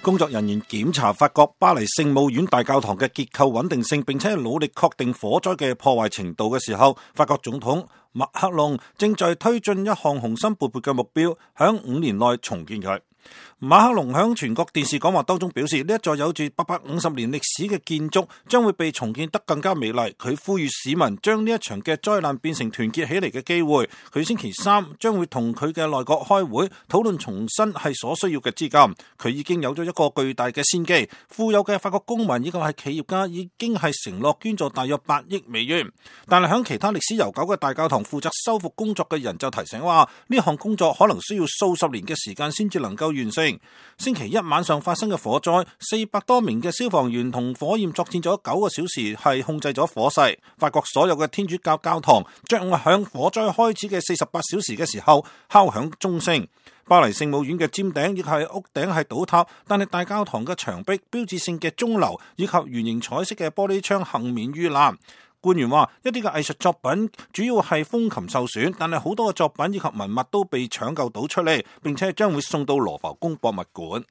工作人員檢查發覺巴黎聖母院大教堂嘅結構穩定性，並且努力確定火災嘅破壞程度嘅時候，法國總統馬克龍正在推進一項雄心勃勃嘅目標，響5年內重建佢。馬克龍響全國電視講話當中表示，呢一座有住850年歷史嘅建築將會被重建得更加美麗。佢呼籲市民將呢一場嘅災難變成團結起嚟嘅機會。佢星期三將會同佢嘅內閣開會討論重新係所需要嘅資金。佢已經有咗一個巨大嘅先機，富有嘅法國公民以及係企業家已經係承諾捐助大約8億美元。但係響其他歷史悠久嘅大教堂負責修復工作嘅人就提醒話，呢項工作可能需要數十年嘅時間先至能夠完成。星期一晚上發生嘅火災，400多名嘅消防員同火焰作戰咗9個小時，係控制咗火勢。法國所有嘅天主教教堂將響火災開始嘅48小時嘅時候敲響鐘聲。巴黎聖母院嘅尖頂亦係屋頂係倒塌，但係大教堂嘅牆壁、標誌性嘅鐘樓以及圓形彩色嘅玻璃窗幸免於難。官員話，一啲嘅藝術作品主要係風琴受損，但係好多嘅作品以及文物都被搶救到出嚟，並且將會送到羅浮宮博物館。